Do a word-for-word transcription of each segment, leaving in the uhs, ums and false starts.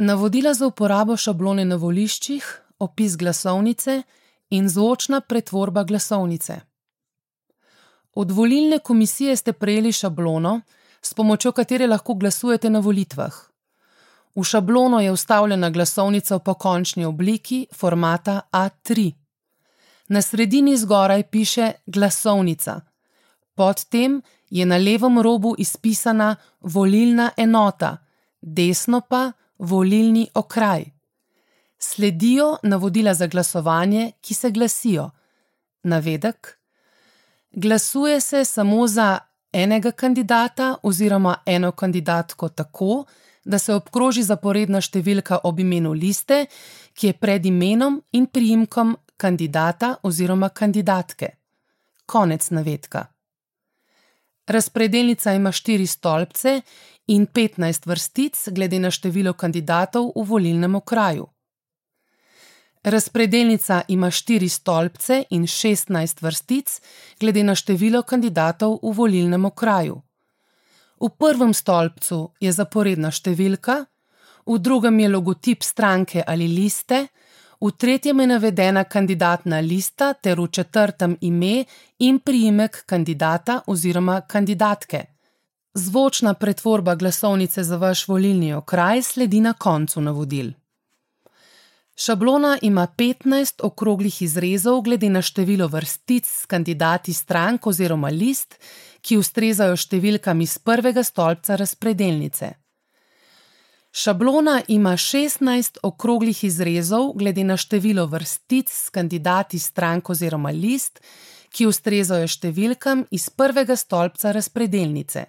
Navodila za uporabo šablone na voliščih, opis glasovnice in zvočna pretvorba glasovnice. Od volilne komisije ste prejeli šablono, s pomočjo katere lahko glasujete na volitvah. V šablono je vstavljena glasovnica v pokončni obliki formata A tri. Na sredini zgoraj piše glasovnica. Pod tem je na levem robu izpisana volilna enota, desno pa volilni okraj. Sledijo navodila za glasovanje, ki se glasijo: navedek. Glasuje se samo za enega kandidata oziroma eno kandidatko tako, da se obkroži zaporedna številka ob imenu liste, ki je pred imenom in priimkom kandidata oziroma kandidatke. Konec navedka. Razpredelnica ima štiri stolpce in petnajst vrstic glede na število kandidatov v volilnem okraju. Razpredelnica ima štiri stolpce in šestnajst vrstic glede na število kandidatov v volilnem okraju. V prvem stolpcu je zaporedna številka, v drugem je logotip stranke ali liste, v tretjem je navedena kandidatna lista ter v četrtem ime in priimek kandidata oziroma kandidatke. Zvočna pretvorba glasovnice za vaš volilni okraj sledi na koncu navodil. Šablona ima petnajst okroglih izrezov glede na število vrstic s kandidati strank oziroma list, ki ustrezajo številkam iz prvega stolpca razpredelnice. Šablona ima šestnajst okroglih izrezov glede na število vrstic s kandidati strank oziroma list, ki ustrezajo številkam iz prvega stolpca razpredelnice.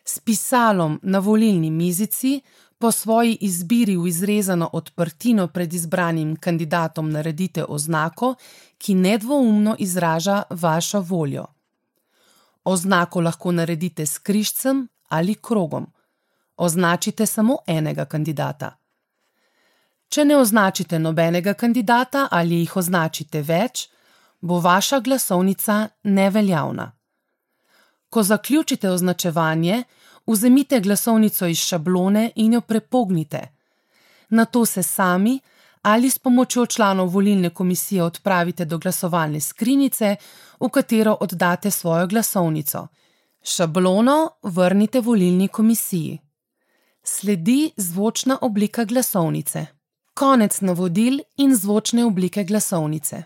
S pisalom na volilni mizici po svoji izbiri v izrezano odprtino pred izbranim kandidatom naredite oznako, ki nedvoumno izraža vašo voljo. Oznako lahko naredite s križcem ali krogom. Označite samo enega kandidata. Če ne označite nobenega kandidata ali jih označite več, bo vaša glasovnica neveljavna. Ko zaključite označevanje, vzemite glasovnico iz šablone in jo prepognite. Nato se sami ali s pomočjo članov volilne komisije odpravite do glasovalne skrinjice, v katero oddate svojo glasovnico. Šablono vrnite volilni komisiji. Sledi zvočna oblika glasovnice. Konec navodil in zvočne oblike glasovnice.